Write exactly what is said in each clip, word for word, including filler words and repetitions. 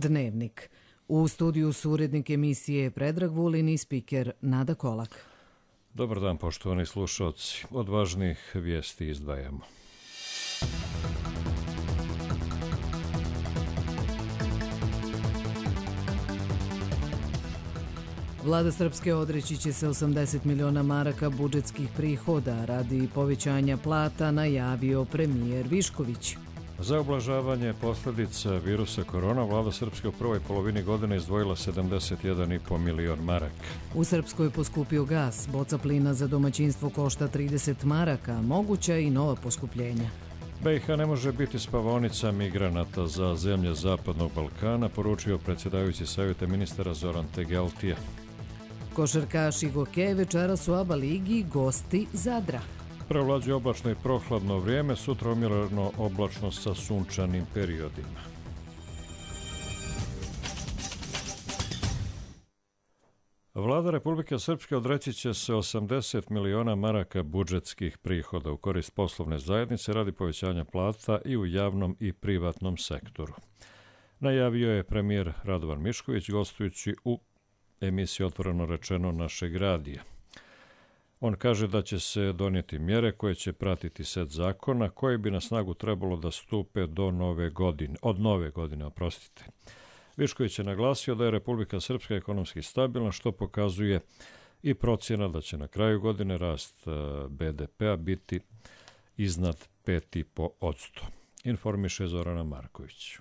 Dnevnik. U studiju su urednik emisije Predrag Vulin i spiker Nada Kolak. Dobar dan, poštovani slušalci. Od važnih vijesti izdvajamo. Vlada Srpske odreći će se osamdeset miliona maraka budžetskih prihoda radi povećanja plata, najavio premijer Višković. Za ublažavanje posljedica virusa korona, vlada Srpske u prvoj polovini godine izdvojila sedamdeset jedan i po milion maraka. U Srpskoj poskupio gas, boca plina za domaćinstvo košta trideset maraka, moguća i nova poskupljenja. B i H ne može biti spavaonica migranata za zemlje Zapadnog Balkana, poručio predsjedavajući savjeta ministara Zoran Tegeltija. Košarkaši Goke večeras u ABA ligi gosti Zadra. Prevlađuje oblačno i prohladno vrijeme, sutra umjereno oblačno sa sunčanim periodima. Vlada Republike Srpske odreći će se osamdeset miliona maraka budžetskih prihoda u korist poslovne zajednice radi povećanja plata i u javnom i privatnom sektoru. Najavio je premijer Radovan Mišković gostujući u emisiji Otvoreno rečeno našeg radija. On kaže da će se donijeti mjere koje će pratiti set zakona koji bi na snagu trebalo da stupe do nove godine, od nove godine, oprostite. Višković je naglasio da je Republika Srpska ekonomski stabilna, što pokazuje i procjena da će na kraju godine rast B D P-a biti iznad pet zarez pet posto. Informiše Zorana Marković.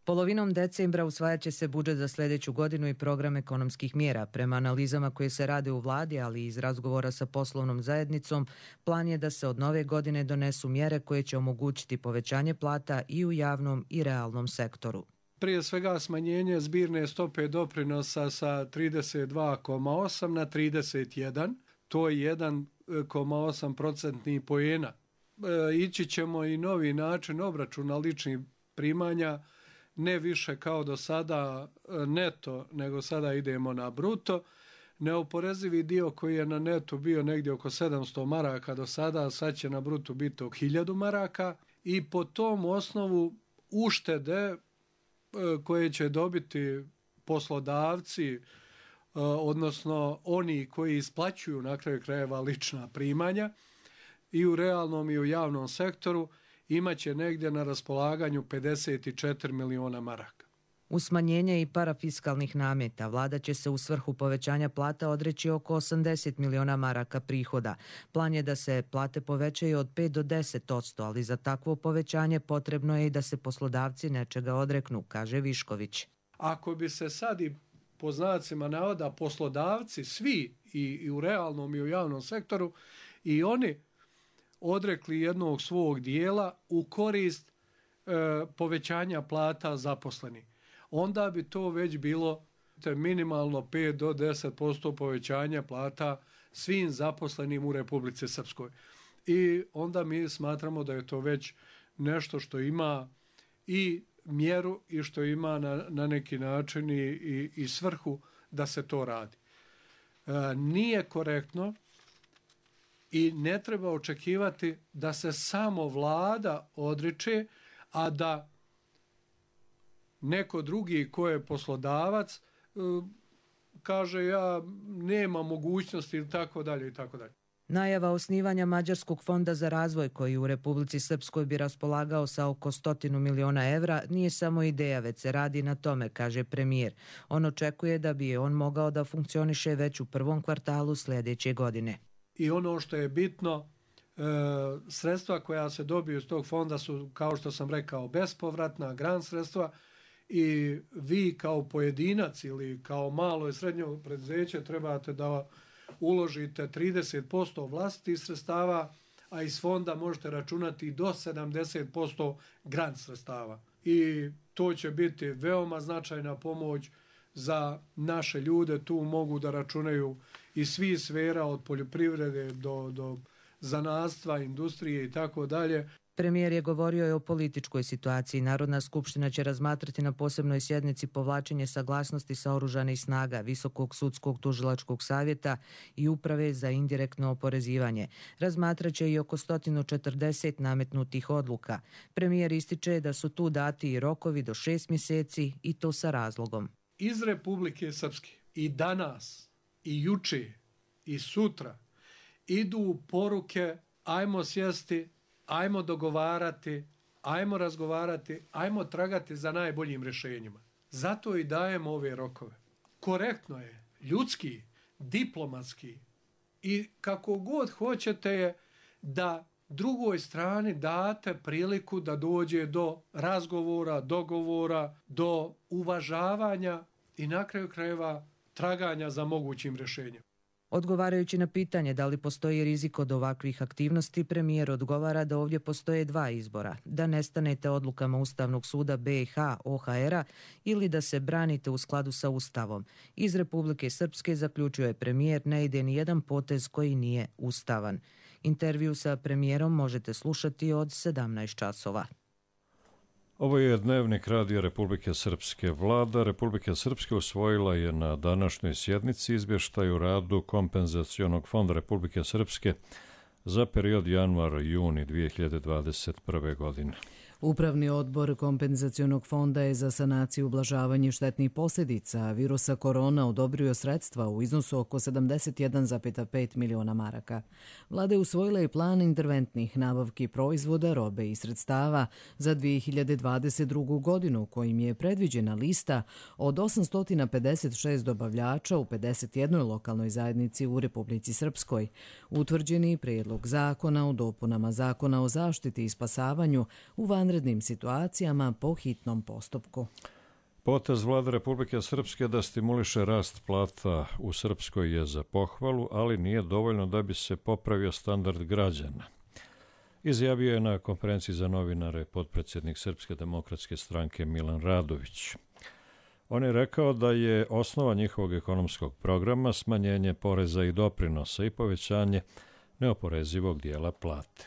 Polovinom decembra usvajat će se budžet za sljedeću godinu i program ekonomskih mjera. Prema analizama koje se rade u vladi, ali i iz razgovora sa poslovnom zajednicom, plan je da se od nove godine donesu mjere koje će omogućiti povećanje plata i u javnom i realnom sektoru. Prije svega smanjenje zbirne stope doprinosa sa trideset dva zarez osam na trideset jedan, to je jedan zarez osam procentnih poena. E, ići ćemo i novi način obračuna ličnih primanja, ne više kao do sada neto, nego sada idemo na bruto. Neoporezivi dio koji je na netu bio negdje oko sedamsto maraka do sada, sad će na brutu biti oko hiljadu maraka i po tom osnovu uštede koje će dobiti poslodavci, odnosno oni koji isplaćuju na kraju krajeva lična primanja i u realnom i u javnom sektoru, imaće negdje na raspolaganju pedeset četiri miliona maraka. U smanjenje i parafiskalnih nameta vlada će se u svrhu povećanja plata odreći oko osamdeset miliona maraka prihoda. Plan je da se plate povećaju od pet do deset posto, ali za takvo povećanje potrebno je i da se poslodavci nečega odreknu, kaže Višković. Ako bi se sad i po znacima navoda poslodavci svi i, i u realnom i u javnom sektoru i oni odrekli jednog svog dijela u korist e, povećanja plata zaposlenih, onda bi to već bilo minimalno pet do deset posto povećanja plata svim zaposlenim u Republici Srpskoj. I onda mi smatramo da je to već nešto što ima i mjeru i što ima na, na neki način i, i, i svrhu da se to radi. E, nije korektno i ne treba očekivati da se samo vlada odriče, a da neko drugi ko je poslodavac kaže ja nema mogućnosti ili tako dalje i tako dalje. Najava osnivanja Mađarskog fonda za razvoj koji u Republici Srpskoj bi raspolagao sa oko stotinu miliona evra nije samo ideja, već se radi na tome, kaže premijer. On očekuje da bi on mogao da funkcioniše već u prvom kvartalu sljedeće godine. I ono što je bitno, e, sredstva koja se dobiju iz tog fonda su, kao što sam rekao, bespovratna, grant sredstva i vi kao pojedinac ili kao malo i srednje preduzeće trebate da uložite trideset posto vlastitih sredstava, a iz fonda možete računati do sedamdeset posto grant sredstava. I to će biti veoma značajna pomoć za naše ljude. Tu mogu da računaju iz svih sfera od poljoprivrede do, do zanatstva, industrije i tako dalje. Premijer je govorio i o političkoj situaciji. Narodna skupština će razmatrati na posebnoj sjednici povlačenje saglasnosti sa oružanih snaga, Visokog sudskog tužilačkog savjeta i Uprave za indirektno oporezivanje. Razmatraće i oko sto četrdeset nametnutih odluka. Premijer ističe da su tu dati i rokovi do šest mjeseci i to sa razlogom. Iz Republike Srpske i danas, i juče, i sutra idu poruke: ajmo sjesti, ajmo dogovarati, ajmo razgovarati, ajmo tragati za najboljim rješenjima. Zato i dajemo ove rokove. Korektno je, ljudski, diplomatski i kako god hoćete je da drugoj strani date priliku da dođe do razgovora, dogovora, do uvažavanja i na kraju krajeva traganja za mogućim rješenjem. Odgovarajući na pitanje da li postoji rizik od ovakvih aktivnosti, premijer odgovara da ovdje postoje dva izbora. Da nestanete odlukama Ustavnog suda B i H O H R-a ili da se branite u skladu sa Ustavom. Iz Republike Srpske, zaključio je premijer, ne ide ni jedan potez koji nije ustavan. Intervju sa premijerom možete slušati od sedamnaest časova. Ovo je dnevnik Radija Republike Srpske. Vlada Republike Srpske usvojila je na današnjoj sjednici izvještaj o radu Kompenzacionog fonda Republike Srpske za period januar-juni dvije hiljade dvadeset prve. godine. Upravni odbor Kompenzacionog fonda je za sanaciju i ublažavanje štetnih posljedica virusa korona odobrio sredstva u iznosu oko sedamdeset jedan zarez pet miliona maraka. Vlada je usvojila i plan interventnih nabavki proizvoda, robe i sredstava za dvije hiljade dvadeset drugu. godinu, kojim je predviđena lista od osamsto pedeset šest dobavljača u pedeset jednoj lokalnoj zajednici u Republici Srpskoj. Utvrđeni prijedlog zakona o dopunama Zakona o zaštiti i spasavanju u vanrednim situacijama po hitnom postupku. Potez Vlade Republike Srpske da stimuliše rast plata u Srpskoj je za pohvalu, ali nije dovoljno da bi se popravio standard građana. Izjavio je na konferenciji za novinare potpredsjednik Srpske demokratske stranke Milan Radović. On je rekao da je osnova njihovog ekonomskog programa smanjenje poreza i doprinosa i povećanje neoporezivog dijela plate.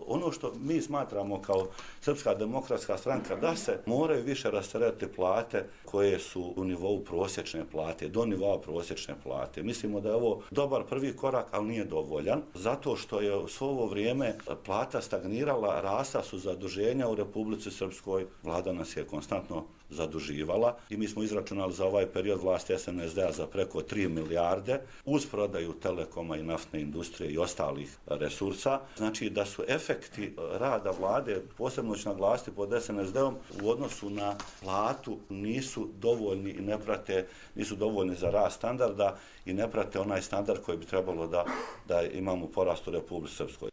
Ono što mi smatramo kao Srpska demokratska stranka da se moraju više rasteretiti plate koje su u nivou prosječne plate, do nivoa prosječne plate. Mislimo da je ovo dobar prvi korak, ali nije dovoljan, zato što je u svo ovo vrijeme plata stagnirala, rasta su zaduženja u Republici Srpskoj, vlada nas je konstantno zaduživala i mi smo izračunali za ovaj period vlasti S N S D-a za preko tri milijarde uz prodaju telekoma i naftne industrije i ostalih resursa. Znači da su efekti rada vlade, posebno ću naglasiti pod S N S D-om, u odnosu na platu nisu dovoljni i ne prate, nisu dovoljni za rast standarda i ne prate onaj standard koji bi trebalo da, da imamo porast u Republici Srpskoj.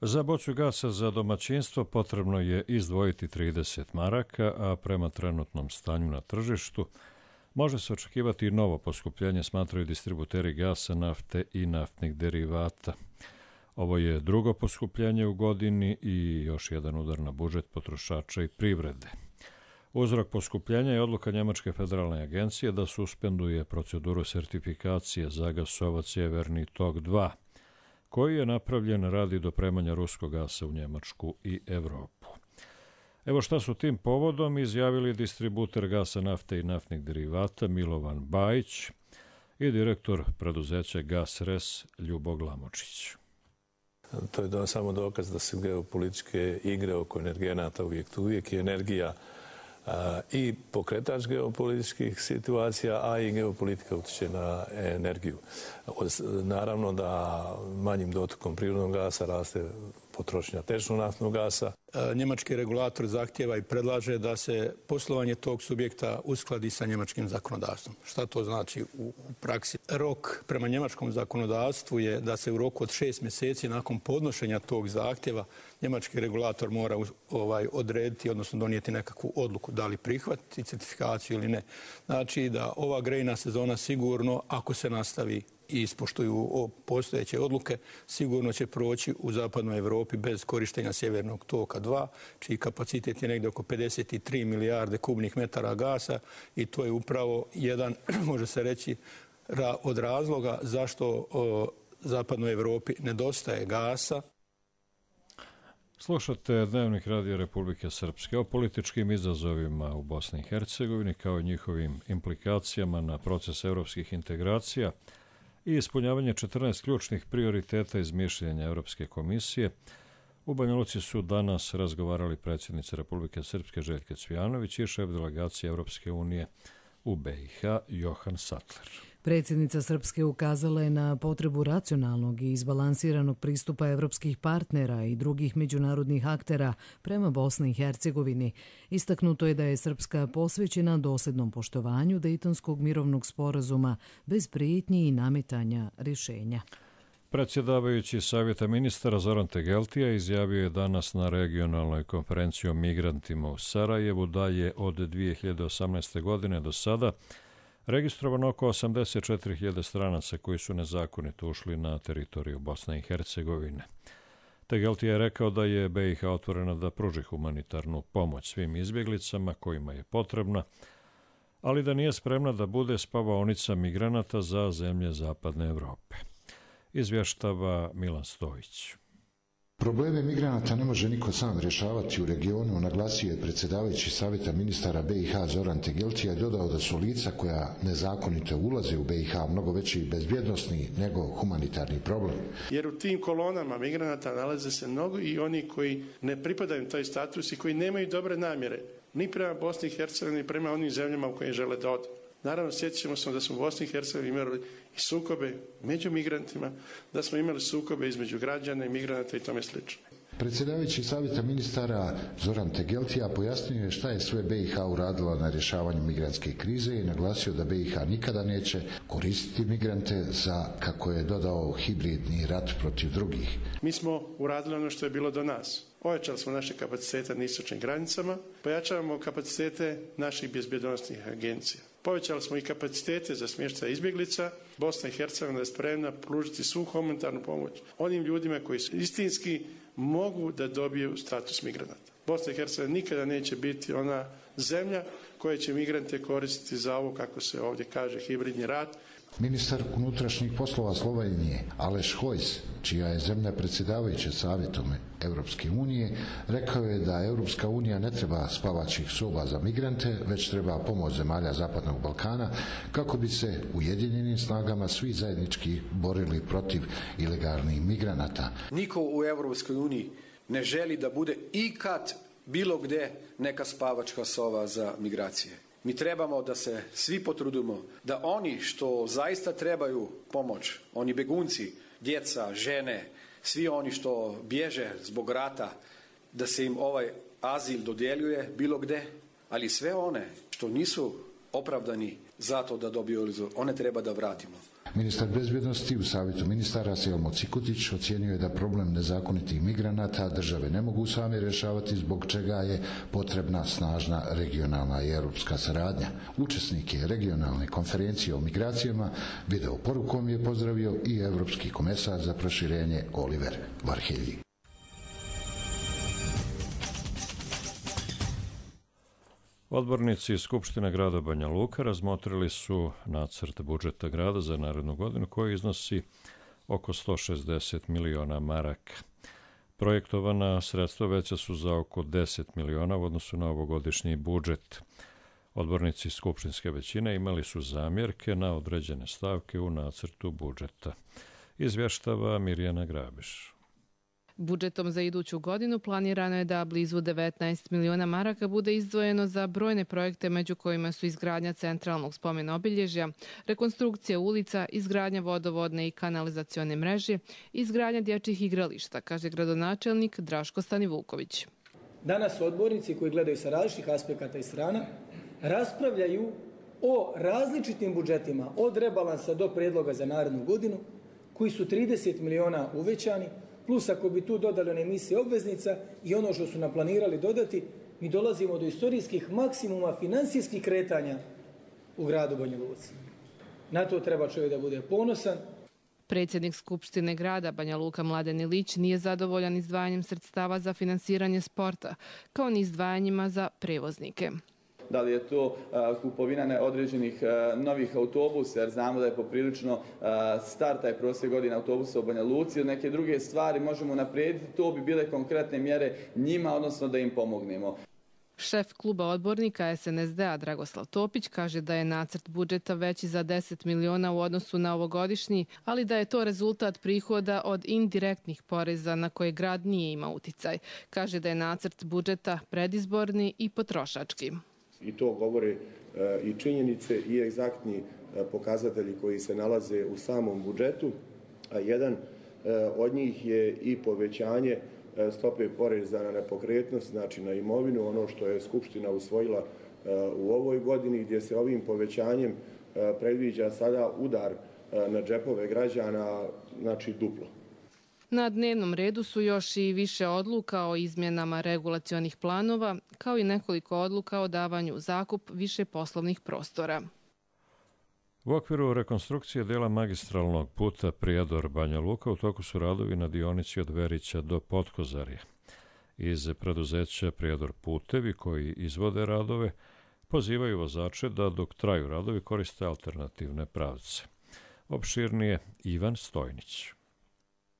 Za bocu gasa za domaćinstvo potrebno je izdvojiti trideset maraka, a prema trenutnom stanju na tržištu može se očekivati i novo poskupljenje, smatraju distributeri gasa, nafte i naftnih derivata. Ovo je drugo poskupljenje u godini i još jedan udar na budžet potrošača i privrede. Uzrok poskupljenja je odluka Njemačke federalne agencije da suspenduje proceduru sertifikacije za gasovac Sjeverni tok dva, koji je napravljen radi dopremanja ruskog gasa u Njemačku i Evropu. Evo šta su tim povodom izjavili distributer gasa, nafte i naftnih derivata Milovan Bajić i direktor preduzeća Gasres Ljubo Glamočić. To je do, samo dokaz da su geopolitičke igre oko energenata uvijek tu, uvijek je energija a, i pokretač geopolitičkih situacija, a i geopolitika utječe na energiju. Naravno da manjim dotokom prirodnog gasa raste potrošnja tečnog naftnog gasa. Njemački regulator zahtjeva i predlaže da se poslovanje tog subjekta uskladi sa njemačkim zakonodavstvom. Šta to znači u praksi? Rok prema njemačkom zakonodavstvu je da se u roku od šest mjeseci nakon podnošenja tog zahtjeva njemački regulator mora ovaj, odrediti, odnosno donijeti nekakvu odluku da li prihvatiti certifikaciju ili ne. Znači da ova grejna sezona sigurno, ako se nastavi i ispoštuju postojeće odluke, sigurno će proći u zapadnoj Europi bez korištenja Sjevernog toka dva, čiji kapacitet je negdje oko pedeset tri milijarde kubnih metara gasa i to je upravo jedan, može se reći, od razloga zašto zapadnoj Europi nedostaje gasa. Slušate Dnevnik Radio Republike Srpske o političkim izazovima u Bosni i Hercegovini kao i njihovim implikacijama na proces evropskih integracija i ispunjavanje četrnaest ključnih prioriteta iz mišljenja Evropske komisije. U Banja Luci su danas razgovarali predsjednica Republike Srpske Željka Cvijanović i šef delegacije Evropske unije u B i H Johan Sattler. Predsjednica Srpske ukazala je na potrebu racionalnog i izbalansiranog pristupa evropskih partnera i drugih međunarodnih aktera prema Bosni i Hercegovini. Istaknuto je da je Srpska posvećena dosljednom poštovanju Dejtonskog mirovnog sporazuma bez prijetnji i nametanja rješenja. Predsjedavajući Savjeta ministara Zoran Tegeltija izjavio je danas na regionalnoj konferenciji o migrantima u Sarajevu da je od dvije hiljade osamnaeste. godine do sada registrovano oko osamdeset četiri hiljade stranaca koji su nezakonito ušli na teritoriju Bosne i Hercegovine. Tegeltija je rekao da je B i H otvorena da pruži humanitarnu pomoć svim izbjeglicama kojima je potrebna, ali da nije spremna da bude spavaonica migranata za zemlje Zapadne Evrope. Izvještava Milan Stojić. Probleme migranata ne može niko sam rješavati u regionu, naglasio je predsjedavajući Savjeta ministara B i H Zoran Tegeltija i dodao da su lica koja nezakonito ulaze u B i H mnogo veći bezbjednosni nego humanitarni problem. Jer u tim kolonama migranata nalaze se mnogo i oni koji ne pripadaju taj status i koji nemaju dobre namjere ni prema Bosni i Hercegovini, ni prema onim zemljama u koje žele da odu. Naravno, sjetit ćemo se da smo u Bosni i Hercegovini imali i sukobe među migrantima, da smo imali sukobe između građana i migranata i tome slično. Predsjedavajući Savjeta ministara Zoran Tegeltija pojasnio je šta je sve B i H uradila na rješavanju migrantske krize i naglasio da B i H nikada neće koristiti migrante za, kako je dodao, hibridni rat protiv drugih. Mi smo uradili ono što je bilo do nas. Pojačali smo naše kapacitete na istočnim granicama, pojačavamo kapacitete naših bezbjednosnih agencija. Povećali smo i kapacitete za smještaj izbjeglica. Bosna i Hercegovina je spremna pružiti svu humanitarnu pomoć onim ljudima koji su istinski mogu da dobiju status migranata. Bosna i Hercegovina nikada neće biti ona zemlja koja će migrante koristiti za ovo, kako se ovdje kaže, hibridni rat. Ministar unutrašnjih poslova Slovenije Aleš Hojs, čija je zemlja predsjedavajuća Savjetom Evropske unije, rekao je da Evropska unija ne treba spavačih soba za migrante, već treba pomoć zemalja Zapadnog Balkana kako bi se ujedinjenim snagama svi zajednički borili protiv ilegalnih migranata. Niko u Evropskoj uniji ne želi da bude ikad bilo gdje neka spavačka sova za migracije. Mi trebamo da se svi potrudimo da oni što zaista trebaju pomoć, oni begunci, djeca, žene, svi oni što bježe zbog rata, da se im ovaj azil dodjeljuje bilo gdje, ali sve one što nisu opravdani zato da dobiju azil, one treba da vratimo. Ministar bezbjednosti u Savjetu ministara Selmo Cikutić ocijenio je da problem nezakonitih migranata države ne mogu sami rješavati, zbog čega je potrebna snažna regionalna i europska saradnja. Učesnike regionalne konferencije o migracijama video porukom je pozdravio i evropski komesar za proširenje Oliver Varhelji. Odbornici iz Skupštine grada Banja Luka razmotrili su nacrt budžeta grada za narednu godinu koji iznosi oko sto šezdeset miliona maraka. Projektovana sredstva veća su za oko deset miliona u odnosu na ovogodišnji budžet. Odbornici skupštinske većine imali su zamjerke na određene stavke u nacrtu budžeta. Izvještava Mirjana Grabiš. Budžetom za iduću godinu planirano je da blizu devetnaest miliona maraka bude izdvojeno za brojne projekte, među kojima su izgradnja centralnog spomen obilježja, rekonstrukcija ulica, izgradnja vodovodne i kanalizacione mreže i izgradnja dječjih igrališta, kaže gradonačelnik Draško Stanivuković. Danas odbornici koji gledaju sa različitih aspekata i strana raspravljaju o različitim budžetima od rebalansa do predloga za narednu godinu koji su trideset miliona uvećani, plus ako bi tu dodali one emisije obveznica i ono što su nam planirali dodati, mi dolazimo do istorijskih maksimuma finansijskih kretanja u gradu Banja Luci. Na to treba čovjek da bude ponosan. Predsjednik Skupštine grada Banja Luka Mladen Ilić nije zadovoljan izdvajanjem sredstava za finansiranje sporta, kao ni izdvajanjima za prevoznike. da li je to kupovina određenih novih autobusa, jer znamo da je poprilično star taj prosjek godina autobusa u Banja Luci, ili neke druge stvari možemo naprijediti, to bi bile konkretne mjere njima, odnosno da im pomognemo. Šef kluba odbornika S N S D-a Dragoslav Topić kaže da je nacrt budžeta veći za deset miliona u odnosu na ovogodišnji, ali da je to rezultat prihoda od indirektnih poreza na koje grad nije imao uticaj. Kaže da je nacrt budžeta predizborni i potrošački. I to govore i činjenice i egzaktni pokazatelji koji se nalaze u samom budžetu, a jedan od njih je i povećanje stope poreza na nepokretnost, znači na imovinu, ono što je Skupština usvojila u ovoj godini, gdje se ovim povećanjem predviđa sada udar na džepove građana, znači duplo. Na dnevnom redu su još i više odluka o izmjenama regulacionih planova, kao i nekoliko odluka o davanju zakup više poslovnih prostora. U okviru rekonstrukcije dela magistralnog puta Prijedor-Banja Luka u toku su radovi na dionici od Verića do Potkozarja. Iz preduzeća Prijedor putevi koji izvode radove pozivaju vozače da dok traju radovi koriste alternativne pravce. Opširnije Ivan Stojnić.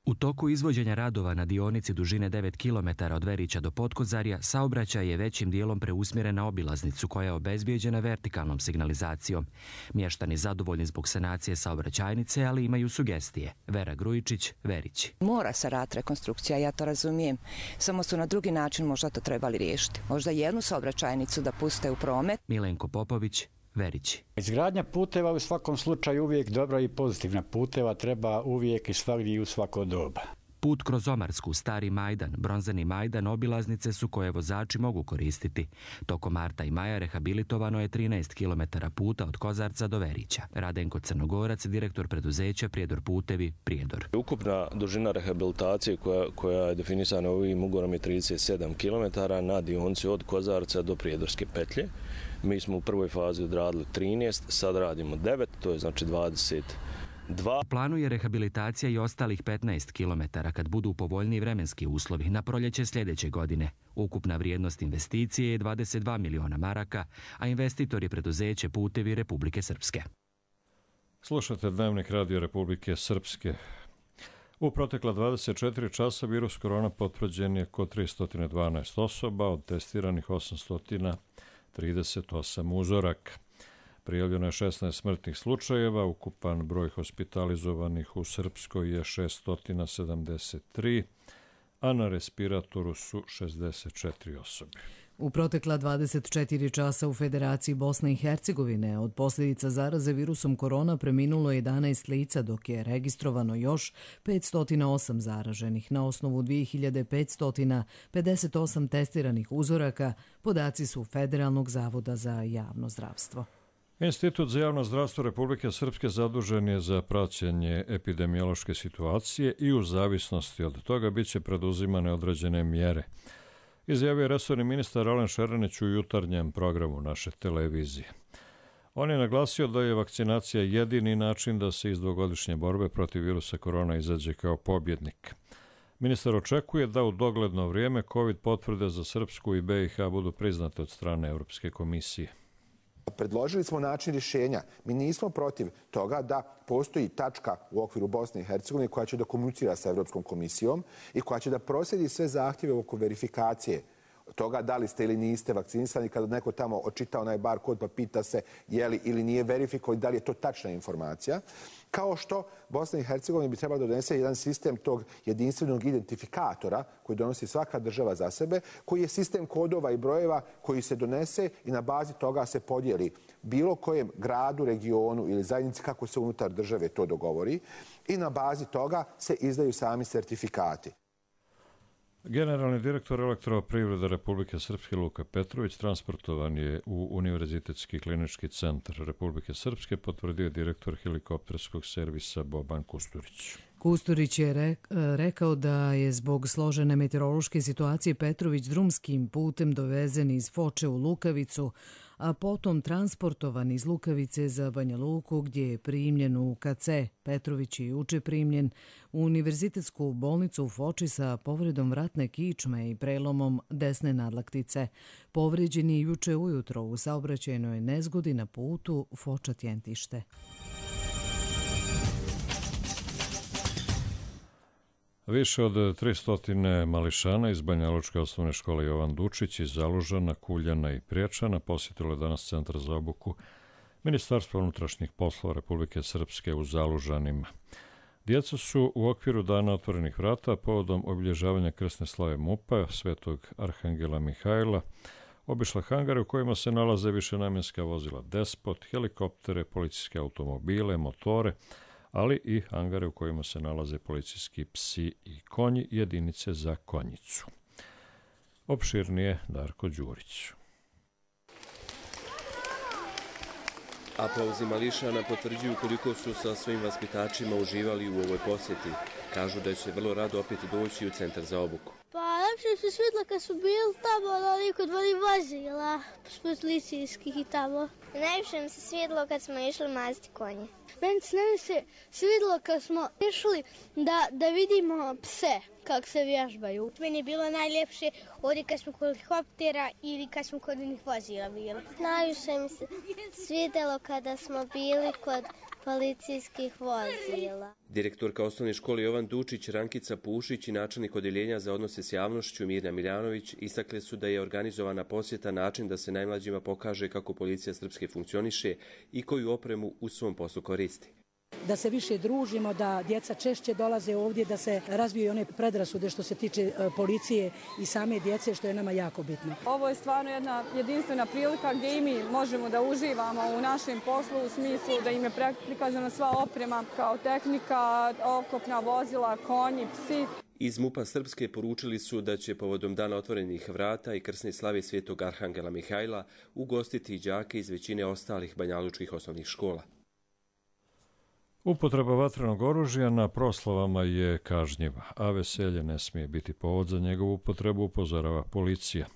U toku izvođenja radova na dionici dužine devet kilometara od Verića do Potkozarja, saobraćaj je većim dijelom preusmjeren na obilaznicu koja je obezbijeđena vertikalnom signalizacijom. Mještani zadovoljni zbog sanacije saobraćajnice, ali imaju sugestije. Vera Grujičić, Verići. Mora se rad rekonstrukcija, ja to razumijem. Samo su na drugi način možda to trebali riješiti. Možda jednu saobraćajnicu da puste u promet. Milenko Popović, Verići. Izgradnja puteva u svakom slučaju uvijek dobra i pozitivna. Puteva treba uvijek i svagdje i u svako doba. Put kroz Omarsku, Stari Majdan, Bronzani Majdan obilaznice su koje vozači mogu koristiti. Tokom marta i maja rehabilitovano je trinaest kilometara puta od Kozarca do Verića. Radenko Crnogorac, direktor preduzeća Prijedor putevi, Prijedor. Ukupna dužina rehabilitacije koja, koja je definisana ovim ugovorom je trideset sedam kilometara na dionici od Kozarca do Prijedorske petlje. Mi smo u prvoj fazi odradili trinaest, sad radimo devet, to je znači dvadeset dva. U planu je rehabilitacija i ostalih petnaest kilometara kad budu povoljniji vremenski uslovi na proljeće sljedeće godine. Ukupna vrijednost investicije je dvadeset dva miliona maraka, a investitor je preduzeće Putevi Republike Srpske. Slušate Dnevnik Radio Republike Srpske. U protekla dvadeset četiri časa virus korona potvrđen je kod tristo dvanaest osoba, od testiranih osamsto trideset osam uzoraka. Prijavljeno je šesnaest smrtnih slučajeva, ukupan broj hospitalizovanih u Srpskoj je šesto sedamdeset tri, a na respiratoru su šezdeset četiri osobe. U protekla dvadeset četiri časa u Federaciji Bosne i Hercegovine od posljedica zaraze virusom korona preminulo jedanaest lica, dok je registrovano još petsto osam zaraženih. Na osnovu dvije hiljade petsto pedeset osam testiranih uzoraka, podaci su Federalnog zavoda za javno zdravstvo. Institut za javno zdravstvo Republike Srpske zadužen je za praćenje epidemiološke situacije i u zavisnosti od toga bit će preduzimane određene mjere. Izjavio je resorni ministar Alen Šeranić u jutarnjem programu naše televizije. On je naglasio da je vakcinacija jedini način da se iz dvogodišnje borbe protiv virusa korona izađe kao pobjednik. Ministar očekuje da u dogledno vrijeme COVID potvrde za Srpsku i B i H budu priznate od strane Europske komisije. Predložili smo način rješenja. Mi nismo protiv toga da postoji tačka u okviru Bosne i Hercegovine koja će da komunicira sa Europskom komisijom i koja će da proslijedi sve zahtjeve oko verifikacije toga da li ste ili niste vakcinisani, kada neko tamo očita onaj bar kod pa pita se je li ili nije verifikovan, da li je to tačna informacija. Kao što Bosna i Hercegovina bi trebala da donese jedan sistem tog jedinstvenog identifikatora koji donosi svaka država za sebe, koji je sistem kodova i brojeva koji se donese i na bazi toga se podijeli bilo kojem gradu, regionu ili zajednici kako se unutar države to dogovori i na bazi toga se izdaju sami sertifikati. Generalni direktor Elektroprivrede Republike Srpske Luka Petrović transportovan je u Univerzitetski klinički centar Republike Srpske, potvrdio je direktor helikopterskog servisa Boban Kusturić. Kusturić je rekao da je zbog složene meteorološke situacije Petrović drumskim putem dovezen iz Foče u Lukavicu, a potom transportovan iz Lukavice za Banja Luku, gdje je primljen u K C. Petrović je juče primljen u univerzitetsku bolnicu u Foči sa povredom vratne kičme i prelomom desne nadlaktice. Povređen je juče ujutro u saobraćajnoj nezgodi na putu Foča-Tjentište. Više od tristo mališana iz Banjalučke osnovne škole Jovan Dučić iz Zalužana, Kuljana i Priječana posjetilo je danas Centar za obuku Ministarstva unutrašnjih poslova Republike Srpske u Zalužanima. Djeca su u okviru Dana otvorenih vrata povodom obilježavanja krsne slave MUP-a Svetog Arhangela Mihajla obišla hangare u kojima se nalaze višenamjenska vozila Despot, helikoptere, policijske automobile, motore, ali i hangare u kojima se nalaze policijski psi i konji, jedinice za konjicu. Opširnije Darko Đurić. Aplauzi mališana potvrđuju koliko su sa svojim vaspitačima uživali u ovoj posjeti. Kažu da će vrlo rado opet doći u Centar za obuku. Pa lepše su svidjela kad su bili tamo, ali kod voli vozila, policijskih i tamo. Najviše mi se svidjelo kad smo išli maziti konje. Meni se svidjelo kad smo išli da, da vidimo pse, kako se vježbaju. Meni je bilo najljepše ovdje kad smo kod helikoptera ili kad smo kod onih vozila bili. Najviše mi se svidjelo kada smo bili kod policijskih vozila. Direktorka osnovne škole Jovan Dučić, Rankica Pušić i načelnik odjeljenja za odnose s javnošću Mirna Miljanović istakle su da je organizovana posjeta način da se najmlađima pokaže kako policija Srpske funkcioniše i koju opremu u svom poslu koristi. Da se više družimo, da djeca češće dolaze ovdje, da se razbiju one predrasude što se tiče policije i same djece, što je nama jako bitno. Ovo je stvarno jedna jedinstvena prilika gdje i mi možemo da uživamo u našem poslu u smislu da im je prikazana sva oprema kao tehnika, oklopna vozila, konji, psi. Iz MUP-a Srpske poručili su da će povodom Dana otvorenih vrata i krsne slave Svetog Arhangela Mihajla ugostiti i đake iz većine ostalih banjalučkih osnovnih škola. Upotreba vatrenog oružja na proslavama je kažnjiva, a veselje ne smije biti povod za njegovu upotrebu, upozorava policija.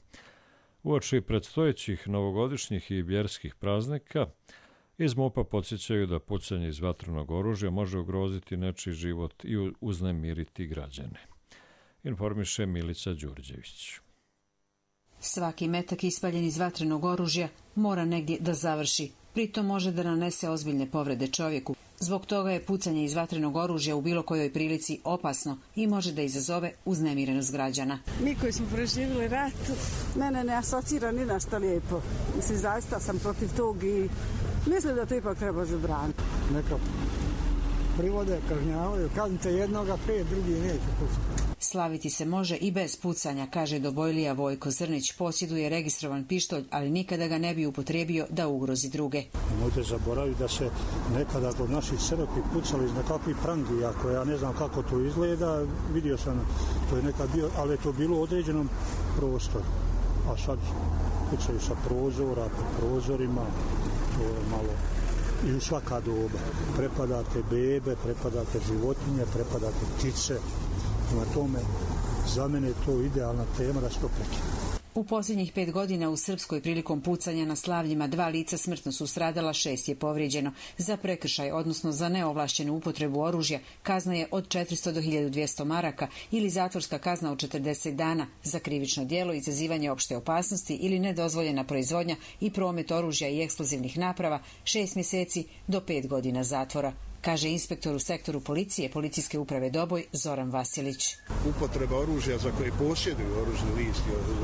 Uoči predstojećih novogodišnjih i vjerskih praznika, iz MUP-a podsjećaju da pucanje iz vatrenog oružja može ugroziti nečiji život i uznemiriti građane. Informiše Milica Đurđević. Svaki metak ispaljen iz vatrenog oružja mora negdje da završi. Pritom može da nanese ozbiljne povrede čovjeku. Zbog toga je pucanje iz vatrenog oružja u bilo kojoj prilici opasno i može da izazove uznemirenost građana. Mi koji smo preživjeli rat, mene ne asocira ni na što lijepo. Mislim, zaista sam protiv tog i mislim da to ipak treba zabraniti. Neka privode, kažnjavaju, kaznite jednoga, pet, drugi neće pucati. Slaviti se može i bez pucanja, kaže dobojlija Vojko Zrnić. Posjeduje registrovan pištolj, ali nikada ga ne bi upotrijebio da ugrozi druge. Nemojte zaboraviti da se nekada kod naših crkvi pucali iz nekakvih prangija, koje ja ne znam kako to izgleda, vidio sam, to je nekad bio, ali je to bilo u određenom prostoru. A sad pucaju sa prozora, po prozorima, to je malo i u svaka doba. Prepadate bebe, prepadate životinje, prepadate ptice. Na tome, za mene je to idealna tema da se to prekine. U posljednjih pet godina u Srpskoj prilikom pucanja na slavljima dva lica smrtno su stradala, šest je povrijeđeno. Za prekršaj, odnosno za neovlašćenu upotrebu oružja, kazna je od četiristo do hiljadu dvjesto maraka ili zatvorska kazna od četrdeset dana. Za krivično djelo, izazivanje opšte opasnosti ili nedozvoljena proizvodnja i promet oružja i eksplozivnih naprava, šest mjeseci do pet godina zatvora, kaže inspektor u sektoru policije Policijske uprave Doboj Zoran Vasilić. Upotreba oružja za koje posjeduju oružni list,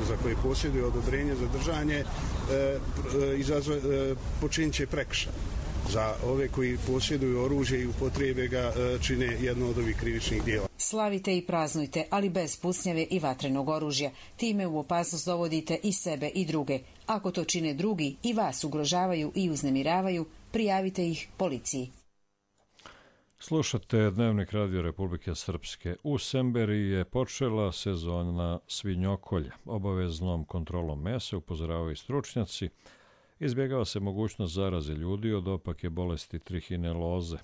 za koje posjeduju odobrenje za držanje, e, e, počinit će prekršaj. Za ove koji posjeduju oružje i upotrijebe ga e, čine jedno od ovih krivičnih djela. Slavite i praznujte, ali bez pucnjave i vatrenog oružja. Time u opasnost dovodite i sebe i druge. Ako to čine drugi i vas ugrožavaju i uznemiravaju, prijavite ih policiji. Slušate Dnevnik Radio Republike Srpske. U Semberiji je počela sezona svinjokolja. Obaveznom kontrolom mesa, upozoravaju stručnjaci, izbjegava se mogućnost zaraze ljudi od opake bolesti trihineloze.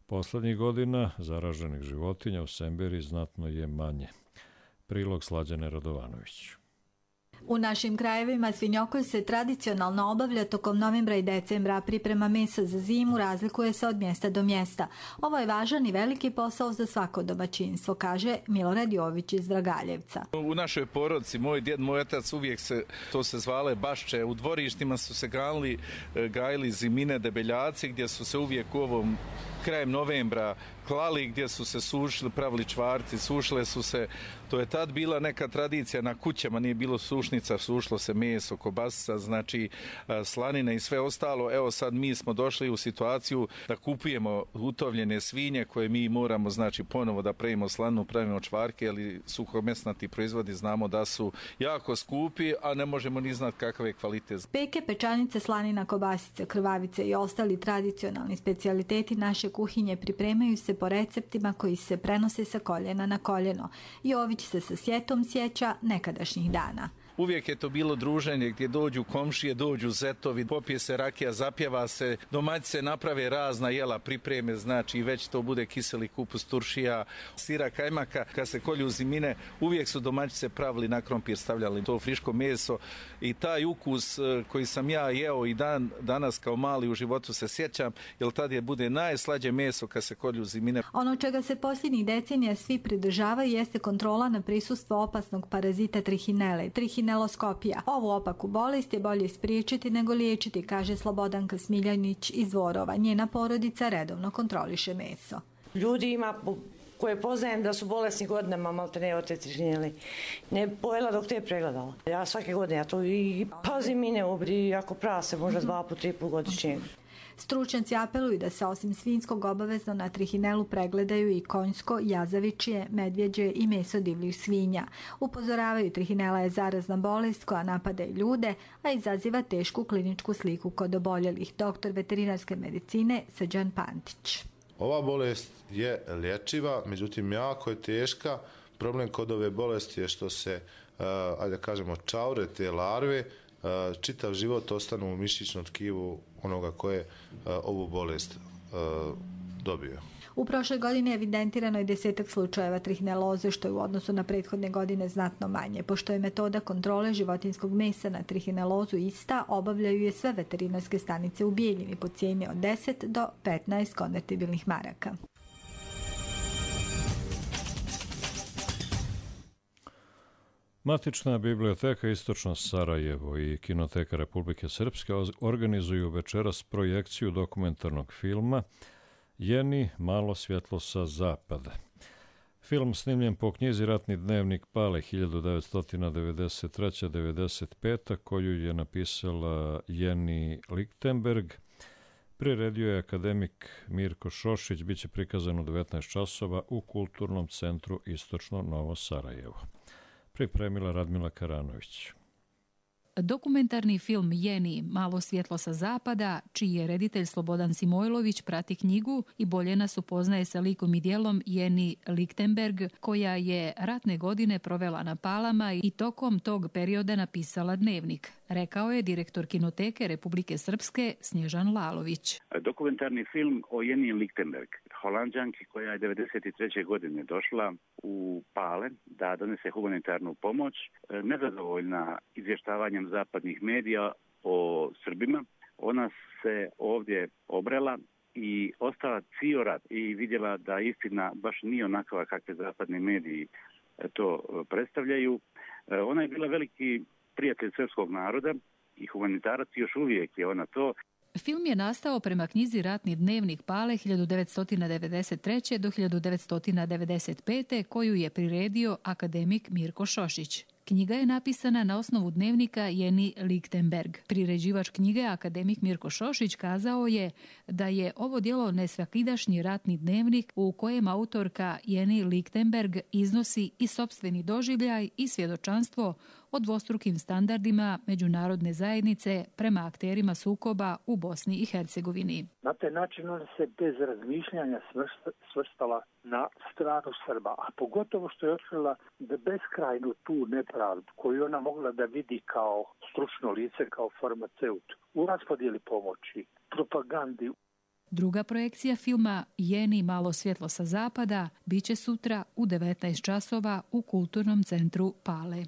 Poslednjih godina zaraženih životinja u Semberiji znatno je manje. Prilog Slađane Radovanović. U našim krajevima svinjokolj se tradicionalno obavlja tokom novembra i decembra, a priprema mesa za zimu razlikuje se od mjesta do mjesta. Ovo je važan i veliki posao za svako domaćinstvo, kaže Milorad Jović iz Dragaljevca. U našoj porodici, moj djed, moj otac uvijek se, to se zvale bašče, u dvorištima su se gajili, gajili zimine debeljaci gdje su se uvijek u ovom krajem novembra klali, gdje su se sušili, pravili čvarci, sušile su se. To je tad bila neka tradicija na kućama, nije bilo sušnica, sušilo se meso, kobasica, znači slanine i sve ostalo. Evo sad mi smo došli u situaciju da kupujemo utovljene svinje koje mi moramo znači ponovo da pravimo slanu, pravimo čvarke, ali suhomesnati proizvodi znamo da su jako skupi, a ne možemo ni znati kakav je kvalitet. Peke, pečanice, slanina, kobasice, krvavice i ostali tradicionalni specijaliteti naše kuhinje pripremaju se po receptima koji se prenose sa koljena na koljeno. Jović se sa sjetom sjeća nekadašnjih dana. Uvijek je to bilo druženje gdje dođu komšije, dođu zetovi, popije se rakija, zapjeva se, domaći se naprave razna jela, pripreme, znači već to bude kiseli kupus, turšija, sira, kajmaka. Kad se kolju zimine, uvijek su domaći se pravili na krompir, stavljali to friško meso i taj ukus koji sam ja jeo i dan, danas kao mali u životu se sjećam, jer tad je bude najslađe meso kad se kolju zimine. Ono čega se posljednjih decenija svi pridržavaju jeste kontrola na prisustvo opasnog parazita trihinele, trihineloskopija. Ovu opaku bolest je bolje spriječiti nego liječiti, kaže Slobodanka Smiljanić iz Dvorova. Njena porodica redovno kontroliše meso. Ljudi ima koje poznajem da su bolesni godinama, malte ne od te trihinele. Ne pojela dok te je pregledala. Ja svake godine ja to i pazim i ne ubri, ako prase možda dva po tri put godišnje. Stručnjaci apeluju da se osim svinjskog obavezno na trihinelu pregledaju i konjsko, jazavičje, medvjeđe i meso divljih svinja. Upozoravaju, trihinela je zarazna bolest koja napada i ljude, a izaziva tešku kliničku sliku kod oboljelih. Doktor veterinarske medicine Srđan Pantić. Ova bolest je lječiva, međutim jako je teška. Problem kod ove bolesti je što se, ajde da kažemo, čaure te larve, čitav život ostanu u mišićnom tkivu onoga koje je ovu bolest dobio. U prošloj godini evidentirano je desetak slučajeva trihineloze, što je u odnosu na prethodne godine znatno manje. Pošto je metoda kontrole životinjskog mesa na trihinelozu ista, obavljaju je sve veterinarske stanice u Bijeljini po cijeni od deset do petnaest konvertibilnih maraka. Matična biblioteka Istočno Sarajevo i Kinoteka Republike Srpske organizuju večeras projekciju dokumentarnog filma Jeni, malo svjetlo sa zapada. Film snimljen po knjizi Ratni dnevnik Pale hiljadu devetsto devedeset treće do devedeset pete koju je napisala Jeni Lichtenberg. Priredio je akademik Mirko Šošić, bit će prikazan u devetnaest časova u Kulturnom centru Istočno Novo Sarajevo. Pripremila Radmila Karanović. Dokumentarni film Jeni, malo svjetlo sa zapada, čiji je reditelj Slobodan Simojlović, prati knjigu i bolje nas upoznaje sa likom i djelom Jeni Lichtenberg, koja je ratne godine provela na Palama i tokom tog perioda napisala dnevnik, rekao je direktor Kinoteke Republike Srpske Snježan Lalović. Dokumentarni film o Jeni Lichtenberg, Holanđanki koja je devedeset treće godine došla u Pale da donese humanitarnu pomoć, nezadovoljna izvještavanjem zapadnih medija o Srbima. Ona se ovdje obrela i ostala cijel rat i vidjela da istina baš nije onakva kakve zapadni mediji to predstavljaju. Ona je bila veliki prijatelj srpskog naroda i humanitarac, još uvijek je ona to. Film je nastao prema knjizi Ratni dnevnik Pale hiljadu devetsto devedeset treće do hiljadu devetsto devedeset pete koju je priredio akademik Mirko Šošić. Knjiga je napisana na osnovu dnevnika Jeni Lichtenberg. Priređivač knjige, akademik Mirko Šošić, kazao je da je ovo djelo nesvakidašnji ratni dnevnik u kojem autorka Jeni Lichtenberg iznosi i sopstveni doživljaj i svjedočanstvo o dvostrukim standardima međunarodne zajednice prema akterima sukoba u Bosni i Hercegovini. Na taj način ona se bez razmišljanja svrstala na stranu Srba, a pogotovo što je otkrila da beskrajnu tu nepravdu koju ona mogla da vidi kao stručno lice, kao farmaceut, u raspodijeli pomoći, propagandi. Druga projekcija filma Jeni, malo svjetlo sa zapada biće sutra u devetnaest časova u Kulturnom centru Pale.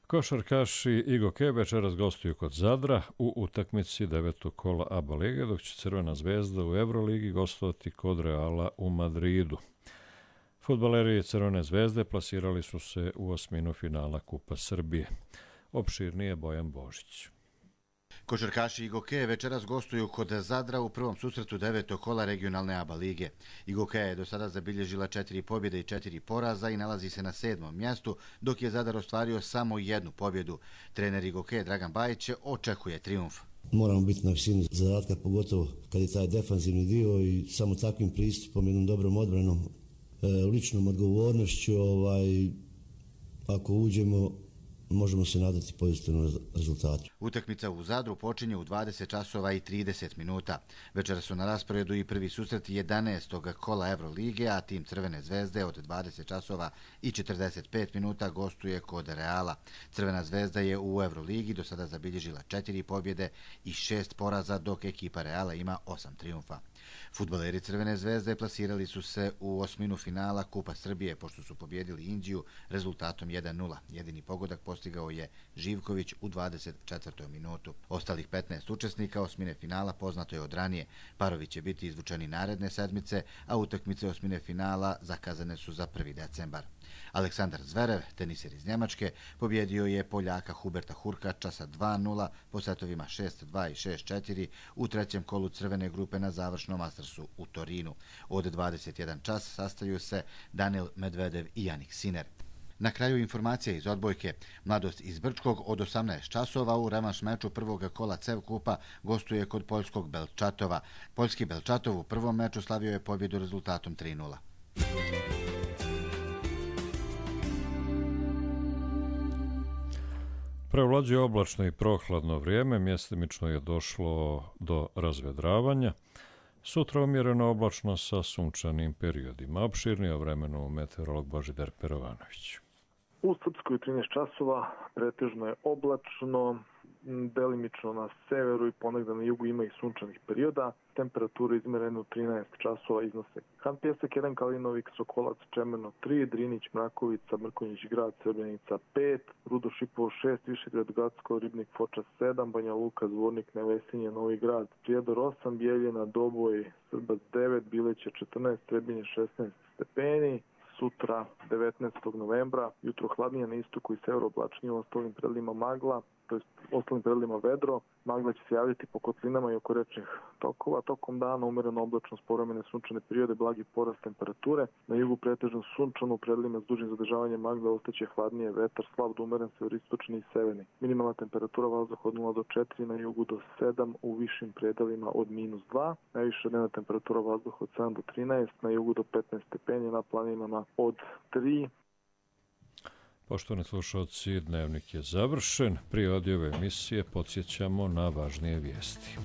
Košarkaši Igoke večeras gostuju kod Zadra u utakmici devetog kola A B A lige, dok će Crvena zvezda u Euroligi gostovati kod Reala u Madridu. Fudbaleri Crvene zvezde plasirali su se u osminu finala Kupa Srbije. Opširnije Bojan Božić. Košarkaši Igoke večeras gostuju kod Zadra u prvom susretu devetog kola regionalne A B A lige. Igoke je do sada zabilježila četiri pobjede i četiri poraza i nalazi se na sedmom mjestu, dok je Zadar ostvario samo jednu pobjedu. Trener Igoke Dragan Bajić očekuje trijumf. Moramo biti na visini zadatka, pogotovo kad je taj defanzivni dio i samo takvim pristupom, jednom dobrom odbranom, ličnom odgovornošću, ovaj, ako uđemo, možemo se nadati pozitivnom rezultatu. Utakmica u Zadru počinje u dvadeset časova i trideset minuta. Večera su na rasporedu i prvi susret jedanaestog kola Evrolige, a tim Crvene zvezde od dvadeset časova i četrdeset pet minuta gostuje kod Reala. Crvena zvezda je u Evroligi do sada zabilježila četiri pobjede i šest poraza, dok ekipa Reala ima osam trijumfa. Fudbaleri Crvene zvezde plasirali su se u osminu finala Kupa Srbije, pošto su pobjedili Indiju rezultatom jedan nula. Jedini pogodak postigao je Živković u dvadeset četvrtoj minutu. Ostalih petnaest učesnika osmine finala poznato je od ranije. Parovi će biti izvučeni naredne sedmice, a utakmice osmine finala zakazane su za prvi decembar. Aleksandar Zverev, teniser iz Njemačke, pobjedio je Poljaka Huberta Hurkača sa dva nula po setovima šest dva i šest četiri u trećem kolu crvene grupe na završnom Mastersu u Torinu. Od dvadeset jedan čas sastaju se Daniil Medvedev i Jannik Sinner. Na kraju informacija iz odbojke. Mladost iz Brčkog od osamnaest časova u revanš meču prvog kola C E V Kupa gostuje kod poljskog Belčatova. Poljski Belčatov u prvom meču slavio je pobjedu rezultatom tri nula. Prevlađuje oblačno i prohladno vrijeme, mjestimično je došlo do razvedravanja. Sutra umjereno oblačno sa sunčanim periodima. Opširnije o vremenu meteorolog Božidar Perovanović. U Srpskoj trinaest časova pretežno je oblačno, delimično na severu i ponegdje na jugu ima i sunčanih perioda. Temperature izmjerene u trinaest časova iznose Han Pjesak jedan, Kalinovik, Sokolac, Čemerno tri, Drinić, Mrakovica, Mrkonjić grad, Srbljenica pet, Rudo Šipovo šest, Višegrad, Gacko, Ribnik, Foča sedam, Banja Luka, Zvornik, Nevesinje, Novi grad, Prijedor osam, Bijeljina, Doboj, Srbac devet, Bileće četrnaest, Trebinje šesnaest stepeni. Sutra, devetnaestog novembra, jutro hladnije na istoku i severu, oblačnije, u ostalim predelima magla, to jest ostalim predelima vedro. Magla će se javljati po kotlinama i oko rečnih tokova. Tokom dana umjereno oblačno, povremene sunčane periode, blagi porast temperature. Na jugu pretežno sunčano, u predelima s dužim zadržavanjem magle ostaće hladnije, vetar slab do umeren severistočni i severni. Minimalna temperatura vazduha od nula do četiri, na jugu do sedam, u višim predelima od minus dva. Najviša dnevna temperatura vazduha od sedam do trinaest, na jugu do petnaest stepeni, na planinama od tri. Poštovani slušalci, dnevnik je završen. Prije odjave emisije podsjećamo na važnije vijesti.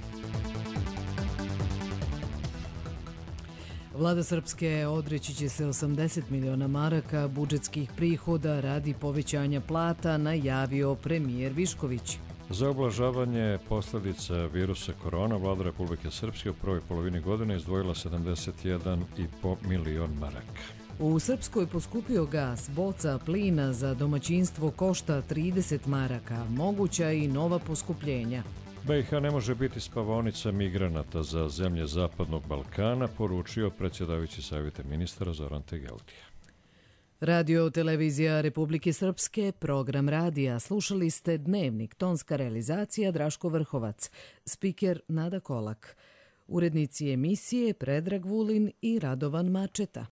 Vlada Srpske odreći će se osamdeset miliona maraka budžetskih prihoda radi povećanja plata, najavio premijer Višković. Za ublažavanje posljedica virusa korona, Vlada Republike Srpske u prvoj polovini godine izdvojila sedamdeset jedan i po milion maraka. U Srpskoj poskupio gas, boca plina za domaćinstvo košta trideset maraka, moguća i nova poskupljenja. B i H ne može biti spavaonica migranata za zemlje Zapadnog Balkana, poručio predsjedavajući savjeta ministara Zoran Tegeltija. Radio televizija Republike Srpske, program radija. Slušali ste Dnevnik, tonska realizacija Draško Vrhovac, spiker Nada Kolak. Urednici emisije Predrag Vulin i Radovan Mačeta.